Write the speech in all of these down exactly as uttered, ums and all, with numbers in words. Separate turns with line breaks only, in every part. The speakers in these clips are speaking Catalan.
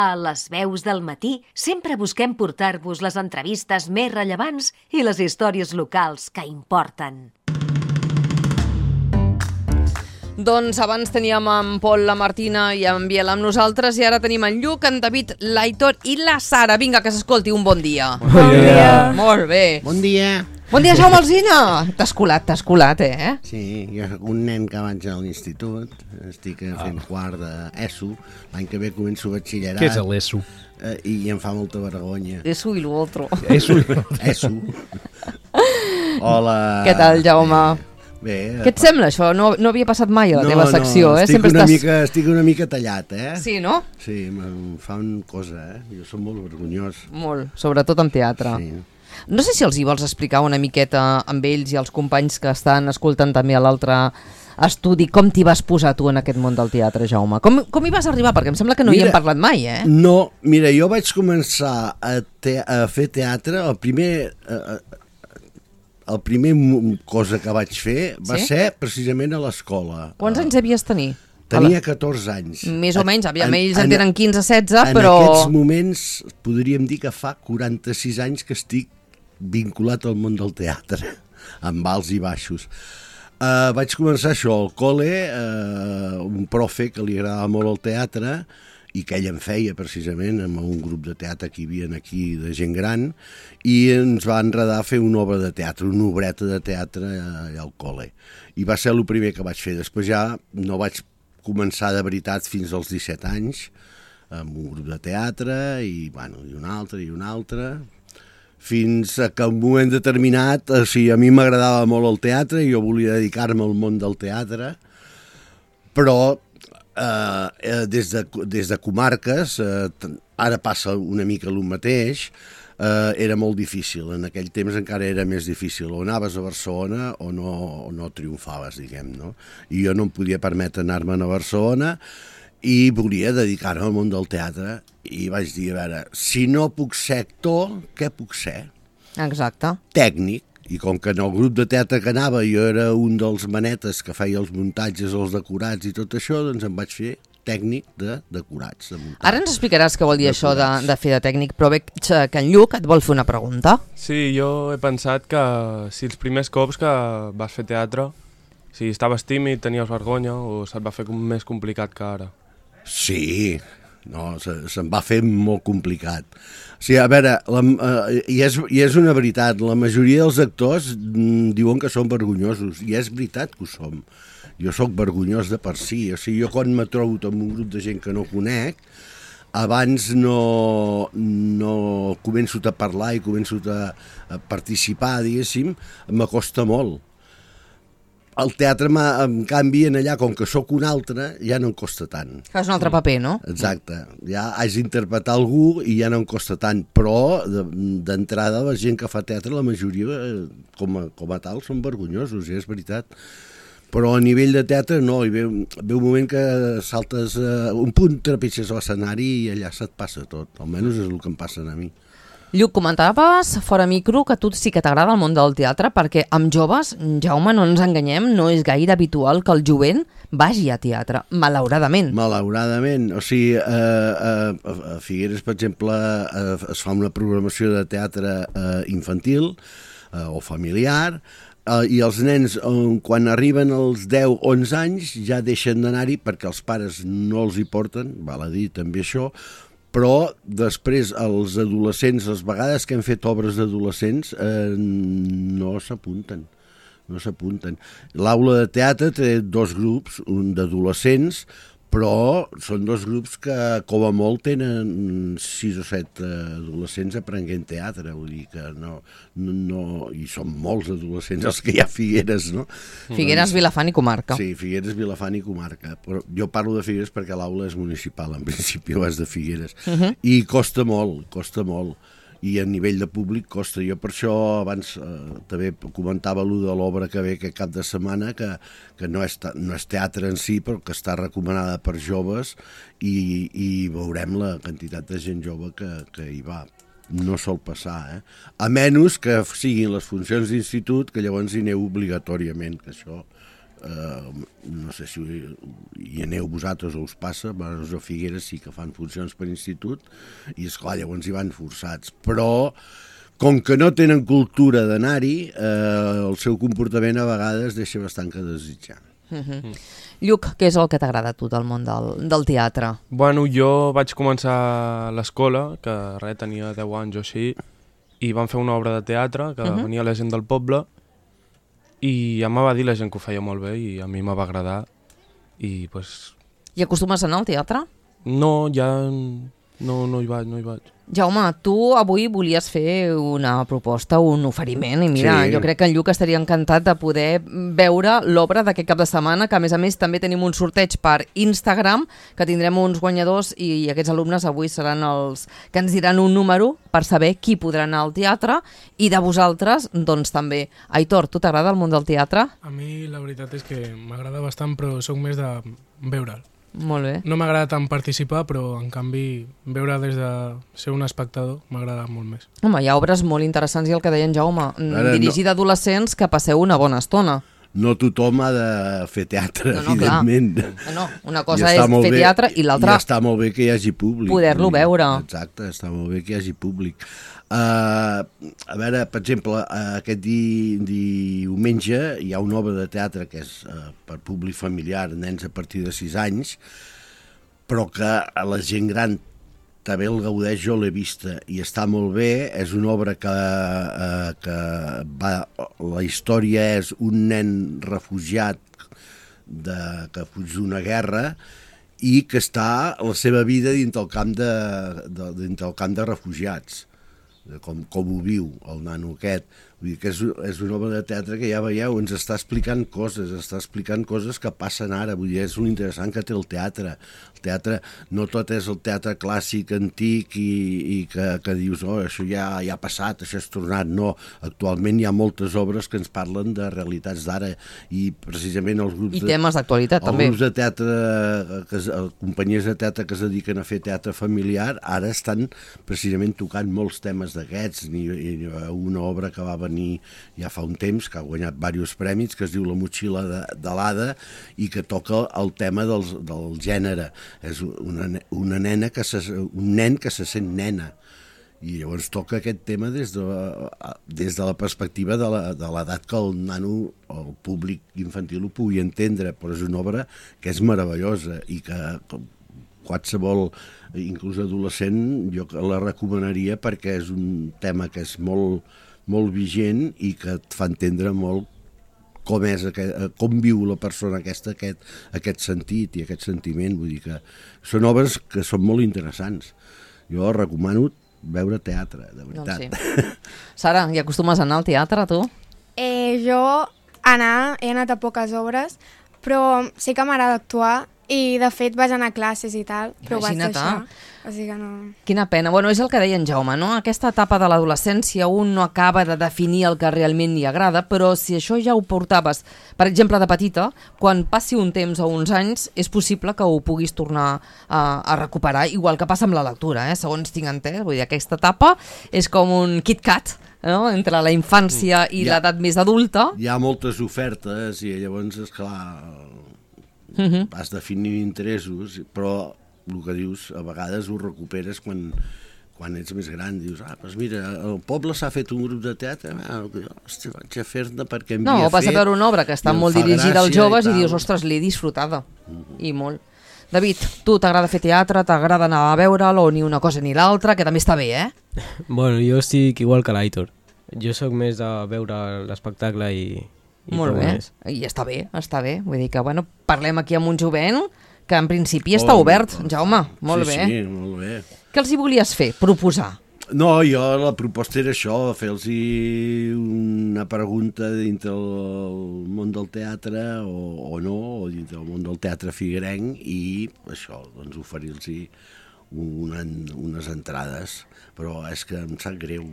A les veus del matí sempre busquem portar-vos les entrevistes més rellevants i les històries locals que importen.
Doncs abans teníem en Pol, la Martina i en Biel amb nosaltres i ara tenim en Lluc, en David, l'Aitor i la Sara. Vinga, que s'escolti, un bon dia.
Bon dia.
Molt bé.
Bon dia.
Bon dia, Jaume Alsina. T'has colat, t'has colat, eh?
Sí, jo soc un nen que vaig a l'institut, estic fent quart d'ESO, l'any que ve començo batxillerat.
Què és l'ESO?
Eh, I em fa molta vergonya.
Eso i l'altre.
ESO.
ESO. Hola.
Què tal, Jaume?
Bé.
Què et sembla, això? No, no havia passat mai a la
no,
teva secció,
no,
eh?
Estic
Sempre
una
estàs...
mica, estic una mica tallat, eh?
Sí, no?
Sí, em fan cosa, eh? Jo som molt vergonyós.
Molt, sobretot en teatre.
Sí.
No sé si els hi vols explicar una miqueta amb ells i els companys que estan escoltant també a l'altre estudi com t'hi vas posar tu en aquest món del teatre, Jaume. Com, com hi vas arribar? Perquè em sembla que no
Mira,
hi hem parlat mai, eh?
No, mira, jo vaig començar a, te a fer teatre, el primer... Eh, el primer cosa que vaig fer va
sí?
ser precisament a l'escola.
Quants anys devies tenir?
Tenia catorze anys.
Més o menys, aviam,
en,
ells
en,
en tenen quinze setze,
en
però...
En aquests moments podríem dir que fa quaranta-sis anys que estic vinculat al món del teatre, amb alts i baixos. Uh, vaig començar això al col·le, uh, un profe que li agradava molt el teatre i que ell em feia precisament amb un grup de teatre que hi havia aquí de gent gran i ens va enredar a fer una obra de teatre, una obreta de teatre allà al col·le. I va ser el primer que vaig fer. Després ja no vaig començar de veritat fins als disset anys amb un grup de teatre i, bueno, i un altre i un altre... fins que en un moment determinat, o sigui, a mi m'agradava molt el teatre i jo volia dedicar-me al món del teatre, però eh, des, de, des de comarques, eh, ara passa una mica el mateix, eh, era molt difícil, en aquell temps encara era més difícil, o anaves a Barcelona o no, o no triomfaves, diguem, no? I jo no em podia permetre anar-me'n a Barcelona, i volia dedicar-me al món del teatre i vaig dir, a veure, si no puc ser actor, què puc ser?
Exacte.
Tècnic. I com que en el grup de teatre que anava jo era un dels manetes que feia els muntatges, els decorats i tot això, doncs em vaig fer tècnic de decorats. De
Ara ens explicaràs què vol dir això de, de fer de tècnic, però veig que en Lluc et vol fer una pregunta.
Sí, jo he pensat que si els primers cops que vas fer teatre, si estaves tímid, tenies vergonya o se't va fer més complicat que ara.
Sí, no, se, se'm va fer molt complicat. O sigui, a veure, la, eh, i, és, i és una veritat, la majoria dels actors mm, diuen que són vergonyosos, i és veritat que ho som. Jo sóc vergonyós de per si, o sigui, jo quan me trobo amb un grup de gent que no conec, abans no, no començo a parlar i començo a, a participar, diguéssim, m'acosta molt. El teatre, en canvi, en allà, com que sóc un altre, ja no em costa tant.
Fas un altre paper, no?
Exacte. Ja haig d'interpretar algú i ja no em costa tant. Però, d'entrada, la gent que fa teatre, la majoria, com a, com a tal, són vergonyosos, ja és veritat. Però a nivell de teatre, no. Hi ve, ve un moment que saltes uh, un punt, trepitges a l'escenari i allà se't passa tot. Almenys és el que em passa a mi.
Lluc, comentaves fora micro que a tu sí que t'agrada el món del teatre perquè amb joves, Jaume, no ens enganyem, no és gaire habitual que el jovent vagi a teatre, malauradament.
Malauradament. O sigui, eh, eh, a Figueres, per exemple, eh, es fa una programació de teatre eh, infantil eh, o familiar, eh, i els nens, eh, quan arriben als deu o onze anys, ja deixen d'anar-hi perquè els pares no els hi porten, val a dir també això, però després els adolescents, les vegades que hem fet obres d'adolescents, eh, no s'apunten, no s'apunten. L'aula de teatre té dos grups, un d'adolescents, però són dos grups que com a molt tenen sis o set adolescents aprenent teatre, vull dir que no, no, no i són molts adolescents els que hi ha a Figueres, no?
Figueres, Vilafant i comarca.
Sí, Figueres, Vilafant i comarca, però jo parlo de Figueres perquè l'aula és municipal, en principi és de Figueres, uh -huh. i costa molt, costa molt. I a nivell de públic costa. Jo per això abans eh, també comentava allò de l'obra que ve aquest cap de setmana, que, que no, és, no és teatre en si, però que està recomanada per joves i, i veurem la quantitat de gent jove que, que hi va. No sol passar, eh? A menys que siguin les funcions d'institut, que llavors hi aneu obligatòriament, que això eh, no sé si hi aneu vosaltres o us passa, a Figueres sí que fan funcions per institut, i esclar, llavors hi van forçats, però com que no tenen cultura d'anar-hi, eh, el seu comportament a vegades deixa bastant que desitjar.
Uh-huh. Mm. Lluc, què és el que t'agrada a tu del món del, del teatre?
Bueno, jo vaig començar a l'escola, que res, tenia deu anys o així, i vam fer una obra de teatre, que uh-huh. venia la gent del poble, i ja em va dir la gent que ho feia molt bé, i a mi m'ha va agradar, i pues...
I acostumes a anar al teatre?
No, ja no, no hi vaig, no hi vaig.
Jaume, tu avui volies fer una proposta, un oferiment, i mira, sí. jo crec que en Lluc estaria encantat de poder veure l'obra d'aquest cap de setmana, que a més a més també tenim un sorteig per Instagram, que tindrem uns guanyadors i aquests alumnes avui seran els que ens diran un número per saber qui podrà anar al teatre, i de vosaltres, doncs també. Aitor, tu t'agrada el món del teatre?
A mi la veritat és que m'agrada bastant, però sóc més de veure'l.
Molt bé.
No m'agrada tant participar, però en canvi veure des de ser un espectador m'agrada molt més.
Home, hi ha obres molt interessants i el que deia en Jaume,
Ara,
dirigida no... a adolescents que passeu una bona estona.
No tothom ha de fer teatre,
no, no,
evidentment.
No, no, una cosa és fer bé, teatre i l'altra...
I està molt bé que hi hagi públic.
Poder-lo veure.
Exacte, està molt bé que hi hagi públic. Uh, a veure, per exemple, uh, aquest di, diumenge hi ha una obra de teatre que és uh, per públic familiar, nens a partir de sis anys, però que a la gent gran també el gaudeix, jo l'he vista i està molt bé. És una obra que, uh, que va, la història és un nen refugiat de, que fuig d'una guerra i que està la seva vida dintre el camp de, de, dintre el camp de refugiats. Com, com ho viu el nano aquest. Vull dir que és, és una obra de teatre que ja veieu, ens està explicant coses, està explicant coses que passen ara. Vull dir, és un interessant que té el teatre. El teatre no tot és el teatre clàssic, antic, i, i que, que dius, oh, això ja, ja ha passat, això és tornat. No, actualment hi ha moltes obres que ens parlen de realitats d'ara, i precisament els grups...
I temes d'actualitat, també.
Els grups de teatre, que, companyies de teatre que es dediquen a fer teatre familiar, ara estan precisament tocant molts temes d'aquests. Ni, ni una obra que va venir ja fa un temps, que ha guanyat diversos premis, que es diu La motxilla de, de l'Ada, i que toca el tema dels, del gènere. És una, una nena que se, un nen que se sent nena, i llavors toca aquest tema des de, des de la perspectiva de l'edat que el nano, el públic infantil ho pugui entendre, però és una obra que és meravellosa i que qualsevol, inclús adolescent, jo la recomanaria, perquè és un tema que és molt, molt vigent i que et fa entendre molt com és, com viu la persona aquesta, aquest, aquest sentit i aquest sentiment. Vull dir que són obres que són molt interessants. Jo recomano veure teatre, de veritat.
Doncs sí. Sara, hi acostumes a anar al teatre, tu?
Eh, jo anar, he anat a poques obres, però sí que m'agrada actuar, i de fet vaig anar a classes i tal, però ho vaig deixar. O sigui que no...
Quina pena. Bueno, és el que deia en Jaume, no? Aquesta etapa de l'adolescència un no acaba de definir el que realment li agrada, però si això ja ho portaves, per exemple, de petita, quan passi un temps o uns anys, és possible que ho puguis tornar a, a recuperar, igual que passa amb la lectura, eh? Segons tinc entès. Vull dir, aquesta etapa és com un KitKat, no? Entre la infància i ja, l'edat més adulta.
Hi ha moltes ofertes i llavors, esclar,
uh-huh.
vas definint interessos, però el que dius, a vegades ho recuperes quan, quan ets més gran. Dius, ah, doncs mira, el poble s'ha fet un grup de teatre, ah, hosti, vaig a fer-ne perquè em
no,
havia fet...
No, vas a veure una obra que està molt dirigida als joves i, i dius, ostres, l'he disfrutada,
uh-huh.
i molt. David, tu t'agrada fer teatre, t'agrada anar a veure'l, o ni una cosa ni l'altra, que també està bé, eh?
Bueno, jo estic igual que l'Aitor. Jo sóc més de veure l'espectacle i... i
molt bé,
més.
I està bé, està bé. Vull dir que, bueno, parlem aquí amb un jovent que en principi està oh, obert, Jaume, molt
sí,
bé.
Sí, molt bé.
Què els hi volies fer, proposar?
No, jo la proposta era això, fer-los una pregunta dintre el món del teatre o, o no, o dintre el món del teatre figuerenc, i això, doncs oferir-los una, unes entrades, però és que em sap greu.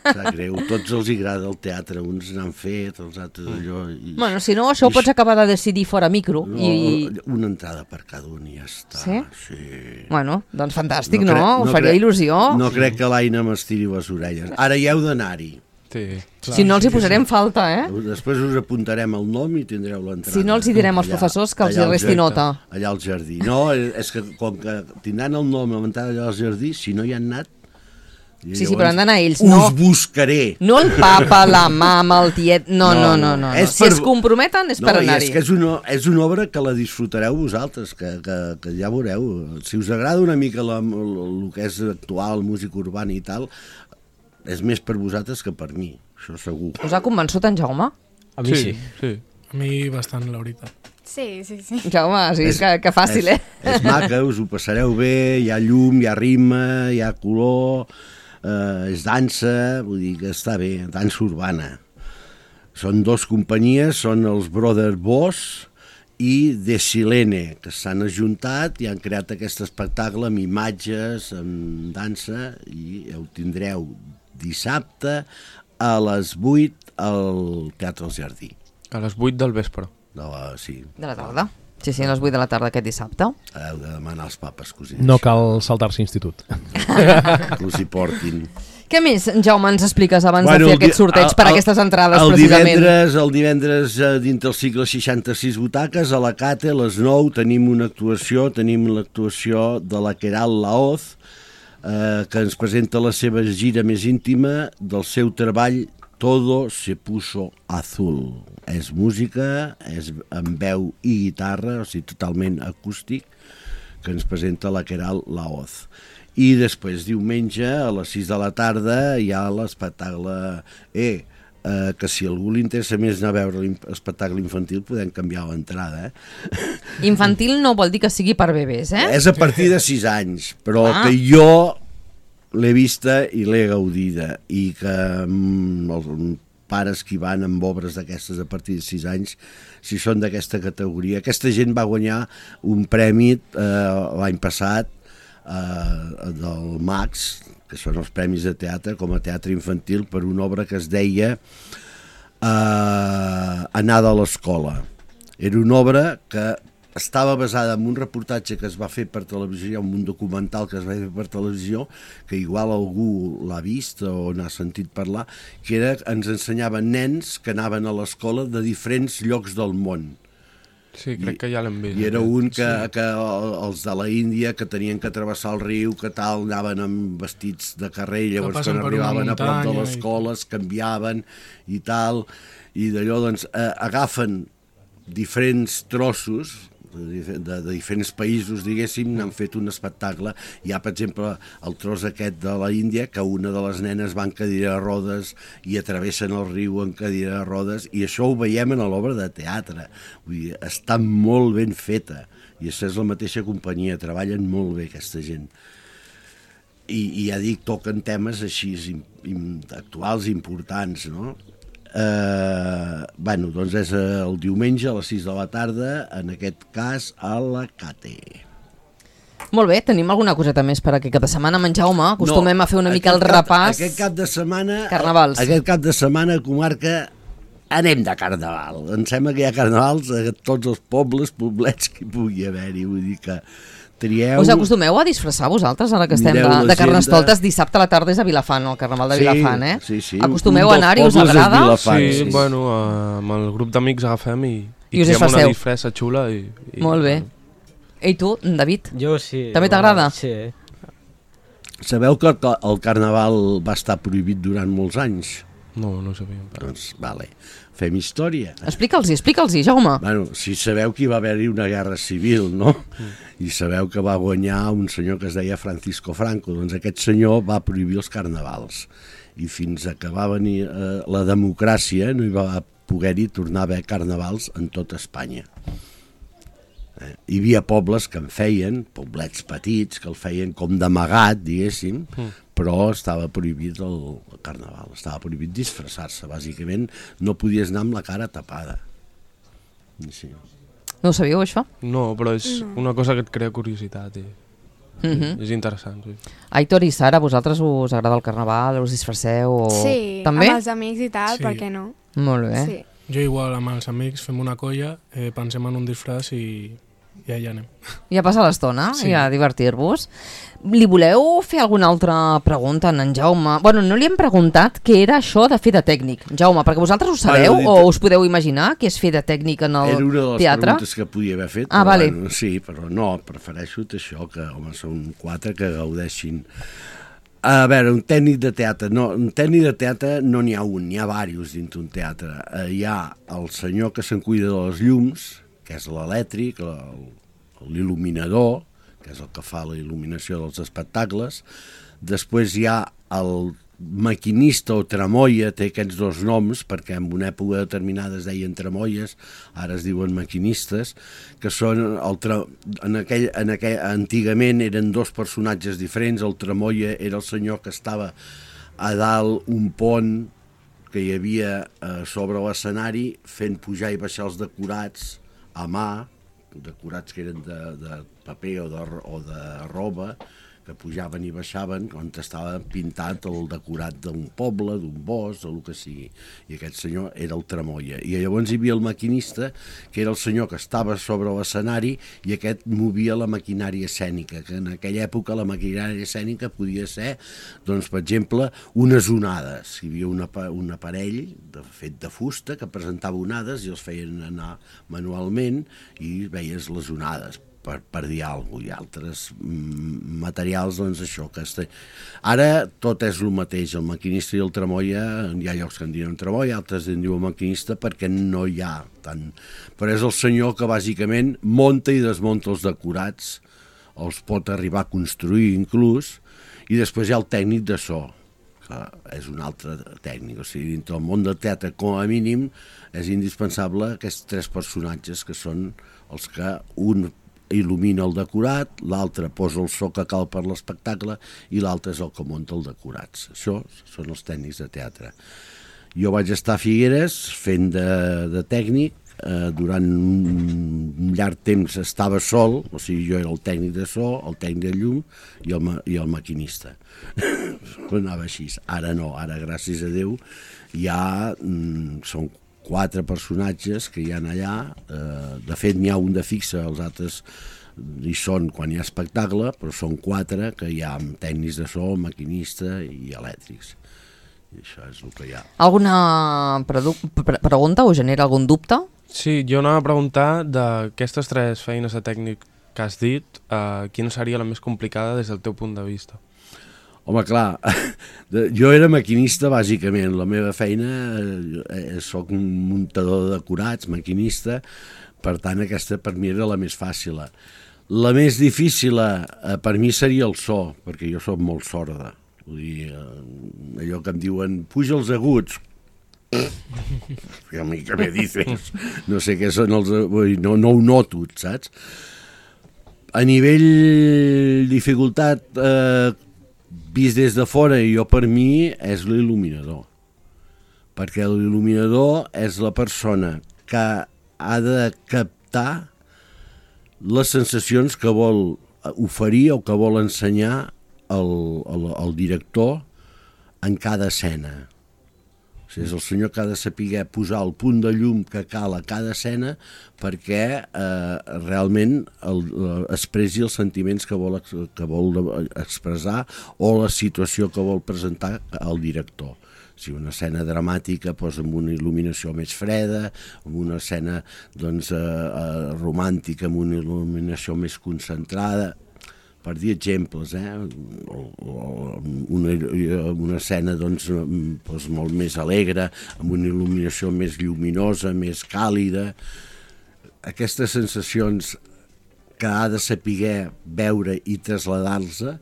Sap greu, tots els agrada el teatre, uns n'han fet, els altres allò... I,
bueno, si no, això ho pots acabar de decidir fora micro.
No,
i...
una entrada per cada un i ja està.
Sí?
Sí.
Bueno, doncs fantàstic, no?
no?
no? Ho faria
crec,
il·lusió.
No crec que l'Aina m'estiri les orelles. Ara hi heu d'anar-hi.
Sí.
Clar, si no els hi posarem sí. falta, eh?
Després us apuntarem el nom i tindreu l'entrada.
Si no els hi direm als allà, professors que els hi resti nota.
Allà al jardí. No, és que com que tindran el nom a l'entrada allà al jardí, si no hi han anat,
sí, sí, però han d'anar ells.
Us
no,
buscaré.
No el papa, la mama, el tiet... No, no, no. no, no.
És
si
per...
es comprometen és
no,
per anar-hi.
És que és una, és una obra que la disfrutareu vosaltres, que, que, que ja veureu. Si us agrada una mica la, el, el que és actual, música urbana i tal, és més per vosaltres que per mi, això segur.
Us ha convençut en Jaume?
A mi sí.
sí. sí.
A mi bastant, la veritat.
Sí, sí, sí.
Jaume, sí, és, que, que fàcil,
és,
eh?
És maca, us ho passareu bé, hi ha llum, hi ha ritme, hi ha color, eh, és dansa, vull dir que està bé, dansa urbana. Són dos companyies, són els Brother Boss i De Silene, que s'han ajuntat i han creat aquest espectacle amb imatges, amb dansa, i ho tindreu dissabte a les vuit al Teatre del Jardí.
A les vuit del vespre.
De la, sí.
De la tarda. Sí, sí, a les vuit de la tarda aquest dissabte.
Heu de demanar als papes que us hi
No cal saltar-se institut.
que us hi portin.
Què més, Jaume, ens expliques abans
bueno,
de fer aquest sorteig el, per a aquestes entrades,
el
precisament?
Divendres, el divendres, dintre el cicle seixanta-sis butaques, a la Cate, a les nou, tenim una actuació, tenim l'actuació de la Queralt Laoz, eh, que ens presenta la seva gira més íntima del seu treball Todo se puso azul. És música, és amb veu i guitarra, o sigui, totalment acústic, que ens presenta la Queralt Laoz. I després, diumenge, a les sis de la tarda, hi ha l'espectacle E, eh, que si algú li interessa més anar a veure l'espectacle infantil, podem canviar l'entrada. Eh?
Infantil no vol dir que sigui per bebès, eh?
És a partir de sis anys, però
ah.
que jo l'he vista i l'he gaudida, i que mm, els pares que hi van amb obres d'aquestes a partir de sis anys, si són d'aquesta categoria. Aquesta gent va guanyar un premi eh, l'any passat eh, del Max, que són els premis de teatre, com a teatre infantil, per una obra que es deia eh, Anada a l'escola. Era una obra que estava basada en un reportatge que es va fer per televisió, un documental que es va fer per televisió, que igual algú l'ha vist o n'ha sentit parlar, que era, ens ensenyaven nens que anaven a l'escola de diferents llocs del món.
Sí, crec I, que ja l'hem vist.
I era un que, sí. que els de la Índia, que tenien que travessar el riu, que tal, anaven amb vestits de carrer, llavors quan arribaven a prop de l'escola es canviaven i tal, i d'allò doncs eh, agafen diferents trossos de, de, de diferents països, diguéssim, n'han fet un espectacle. Hi ha, per exemple, el tros aquest de la Índia, que una de les nenes va en cadira de rodes i atravessen el riu en cadira de rodes, i això ho veiem en l'obra de teatre. Vull dir, està molt ben feta, i això és la mateixa companyia, treballen molt bé aquesta gent. I, i ja dic, toquen temes així actuals, importants, no? Eh, bueno, doncs és el diumenge a les sis de la tarda, en aquest cas a la Cate.
Molt bé, tenim alguna coseta més per aquest cap de setmana, amb en Jaume? Acostumem no, a fer una mica el
cap,
repàs.
Aquest cap de setmana...
Carnavals.
Aquest cap de setmana, comarca, anem de carnaval. Em sembla que hi ha carnavals a tots els pobles, poblets que hi pugui haver-hi, vull dir que... Trieu... Us
acostumeu a disfressar vosaltres, ara que estem de, de Carnestoltes? Dissabte a la tarda és a Vilafant, el Carnaval de
sí,
Vilafant, eh?
Sí, sí.
Acostumeu a anar-hi, us agrada?
Sí, sí, bueno, amb el grup d'amics agafem i, i,
I us
fem una disfressa xula. I, i,
Molt bé. I tu, David?
Jo sí.
També t'agrada?
Sí.
Sabeu que el Carnaval va estar prohibit durant molts anys?
No, no ho sabíem.
Doncs, vale, fem història.
Explica'ls-hi, explica'ls-hi, Jaume.
Bueno, si sabeu que hi va haver-hi una guerra civil, no? Mm. I sabeu que va guanyar un senyor que es deia Francisco Franco, doncs aquest senyor va prohibir els carnavals. I fins a que va venir eh, la democràcia no hi va poder-hi tornar a haver carnavals en tota Espanya. Eh, hi havia pobles que en feien, poblets petits, que el feien com d'amagat, diguéssim, mm. però estava prohibit el carnaval, estava prohibit disfressar-se, bàsicament no podies anar amb la cara tapada. Sí.
No ho sabíeu, això?
No, però és no. una cosa que et crea curiositat i mm-hmm. és interessant. Sí.
Aitor i Sara, vosaltres us agrada el carnaval, us disfresseu? O...
Sí,
també?
Amb els amics i tal, sí. Per què no?
Molt bé.
Sí.
Jo igual amb els amics fem una colla, eh, pensem en un disfraç i i allà anem.
I a passar l'estona,
Sí.
i a divertir-vos. Li voleu fer alguna altra pregunta a en Jaume? Bueno, no li hem preguntat què era això de fer de tècnic, Jaume, perquè vosaltres ho sabeu
Bueno,
o us podeu imaginar què és fer de tècnic en el
Era una de les
teatre?
preguntes que podia haver fet.
Ah,
però,
vale.
bueno, sí, però no, prefereixo això, que home, són quatre que gaudeixin. A veure, un tècnic de teatre, no, un tècnic de teatre no n'hi ha un, n'hi ha diversos dins d'un teatre. Eh, hi ha el senyor que se'n cuida de les llums, que és l'elèctric, l'il·luminador, que és el que fa la il·luminació dels espectacles. Després hi ha el maquinista o tramoia, té aquests dos noms, perquè en una època determinada es deien tramoies, ara es diuen maquinistes, que són, el tra... en aquell, en aquell, antigament eren dos personatges diferents. El tramoia era el senyor que estava a dalt un pont que hi havia eh, sobre l'escenari fent pujar i baixar els decorats a mà, decorats que eren de, de paper o de, o de roba, que pujaven i baixaven on estava pintat el decorat d'un poble, d'un bosc, o el que sigui. I aquest senyor era el tramoia. I llavors hi havia el maquinista, que era el senyor que estava sobre l'escenari i aquest movia la maquinària escènica, que en aquella època la maquinària escènica podia ser, doncs, per exemple, unes onades. Hi havia una, un aparell de, fet de fusta que presentava onades i els feien anar manualment i veies les onades. Per, per dir alguna cosa, i altres mm, materials, doncs això que este... ara tot és el mateix, el maquinista i el tramoia, hi ha llocs que en diuen tramoia, altres en diuen maquinista perquè no hi ha tant, però és el senyor que bàsicament monta i desmunta els decorats, els pot arribar a construir inclús, i després hi ha el tècnic de so, que és un altre tècnic, o sigui, dintre el món del teatre com a mínim és indispensable aquests tres personatges que són els que un il·lumina el decorat, l'altre posa el so que cal per l'espectacle i l'altre és el que munta els decorats. Això són els tècnics de teatre. Jo vaig estar a Figueres fent de, de tècnic, eh, durant un llarg temps estava sol, o sigui, jo era el tècnic de so, el tècnic de llum i el, i el maquinista. Anava així. Ara no, ara gràcies a Déu ja mm, són quatre personatges que hi ha allà, eh, de fet n'hi ha un de fixe, els altres hi són quan hi ha espectacle, però són quatre que hi ha amb tècnics de so, maquinista i elèctrics. I això és el que hi ha.
Alguna pre pregunta o genera algun dubte?
Sí, jo anava a preguntar d'aquestes tres feines de tècnic que has dit, eh, quina seria la més complicada des del teu punt de vista?
Home, clar, jo era maquinista bàsicament, la meva feina, eh, soc un muntador de decorats, maquinista, per tant aquesta per mi era la més fàcil. La més difícil eh, per mi seria el so, perquè jo soc molt sorda. Vull dir, eh, allò que em diuen, puja els aguts, a mi que me dices, no sé què són els aguts, no, no ho noto, saps? A nivell dificultat, eh, vist des de fora, i jo per mi és l'il·luminador, perquè l'il·luminador és la persona que ha de captar les sensacions que vol oferir o que vol ensenyar el, el, el director en cada escena. O sigui, és el senyor que ha de saber posar el punt de llum que cal a cada escena perquè eh, realment el, expressi els sentiments que vol, que vol expressar o la situació que vol presentar al director. Si una escena dramàtica, doncs, amb una il·luminació més freda, amb una escena doncs, eh, romàntica, amb una il·luminació més concentrada, per dir exemples, eh? una, una escena doncs, doncs, molt més alegre, amb una il·luminació més lluminosa, més càlida. Aquestes sensacions que ha de saber veure i traslladar-se,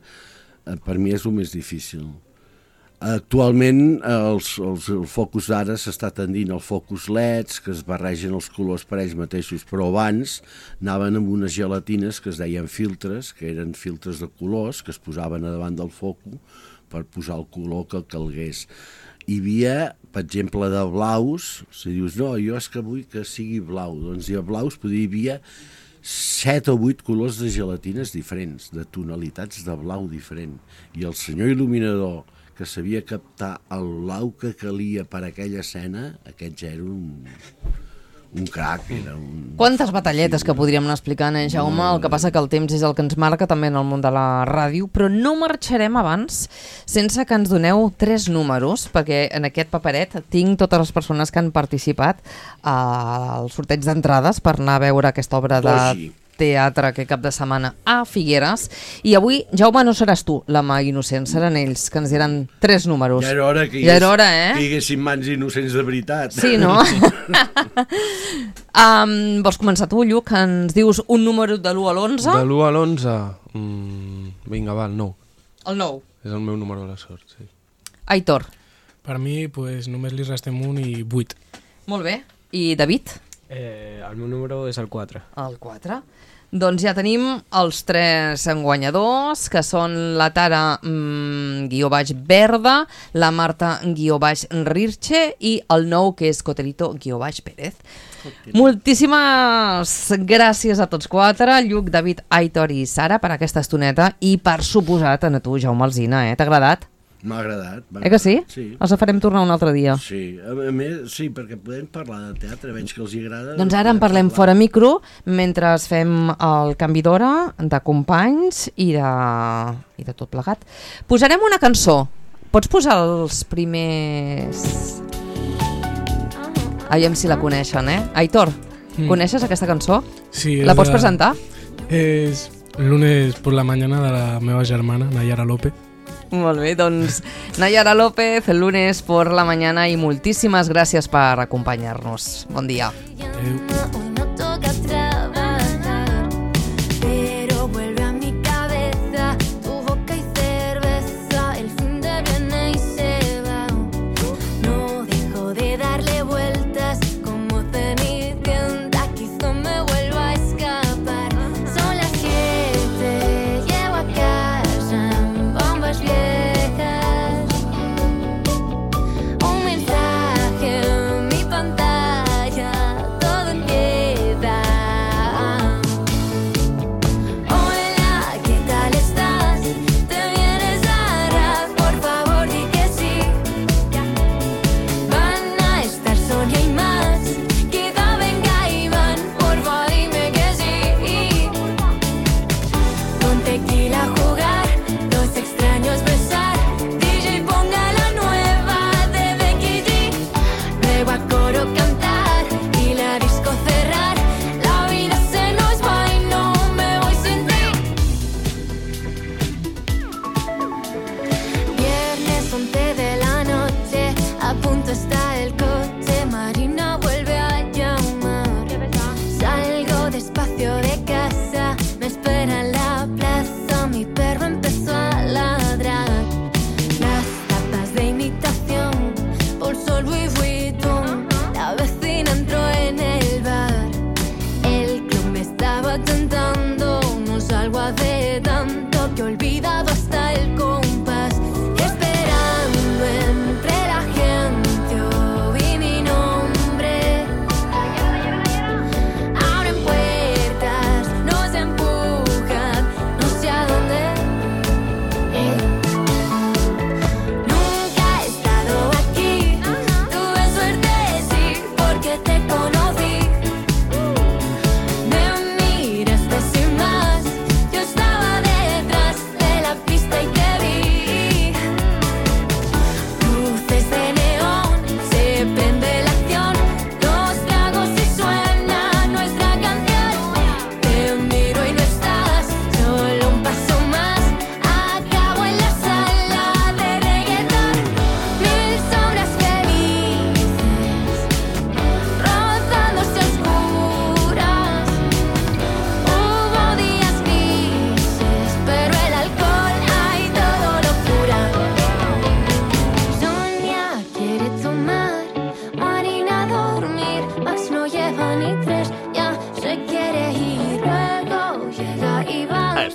per mi és el més difícil. Actualment els, els, el focus d'ara s'està tendint al focus L E Ds, que es barregen els colors per ells mateixos, però abans anaven amb unes gelatines que es deien filtres, que eren filtres de colors que es posaven a davant del focus per posar el color que calgués. Hi havia, per exemple, de blaus, si dius, no, jo és que vull que sigui blau, doncs hi ha blaus, però hi havia set o vuit colors de gelatines diferents, de tonalitats de blau diferent, i el senyor il·luminador que sabia captar el blau que calia per a aquella escena, aquest ja era un, un crac, era un...
Quantes batalletes que podríem anar explicant, eh, Jaume? El que passa que el temps és el que ens marca també en el món de la ràdio, però no marxarem abans sense que ens doneu tres números, perquè en aquest paperet tinc totes les persones que han participat al sorteig d'entrades per anar a veure aquesta obra de teatre aquest cap de setmana a Figueres, i avui, Jaume, no seràs tu la mà innocent, seran ells, que ens diran tres números.
Ja era hora que hi,
ja era hora, eh?
que hi haguessin mans innocents de veritat.
Sí, no? um, vols començar tu, Lluc? Ens dius un número de l'u a l'onze?
De l'u a l'onze? Mm, vinga, va, el nou.
El nou?
És el meu número de la sort, sí.
Aitor?
Per mi, pues, només li restem un i vuit.
Molt bé. I David?
Eh, el meu número és el quatre.
El quatre? Doncs ja tenim els tres guanyadors, que són la Tara mmm, guió baix Verda, la Marta guió baix Rirche i el nou, que és Cotelito guió baix Pérez. Moltíssimes gràcies a tots quatre, Lluc, David, Aitor i Sara, per aquesta estoneta, i per suposat a tu, Jaume Alsina, eh? T'ha agradat?
M'ha agradat.
Eh que sí?
Sí.
Els farem tornar un altre dia.
Sí, a més, sí, perquè podem parlar de teatre, veig que els agrada.
Doncs ara en parlem fora micro, mentre fem el canvi d'hora, de companys i de, i de tot plegat. Posarem una cançó. Pots posar els primers... Aviam si la coneixen, eh? Aitor, mm. coneixes aquesta cançó?
Sí.
La pots
de...
presentar?
És lunes por la mañana de la meva germana, Nayara López.
Molt bé, doncs Nayara López, el lunes por la mañana, i moltíssimes gràcies per acompanyar-nos. Bon dia. Adéu.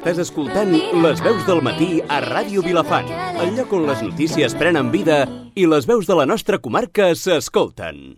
Estàs escoltant Les Veus del Matí a Ràdio Vilafant, el lloc on les notícies prenen vida i les veus de la nostra comarca s'escolten.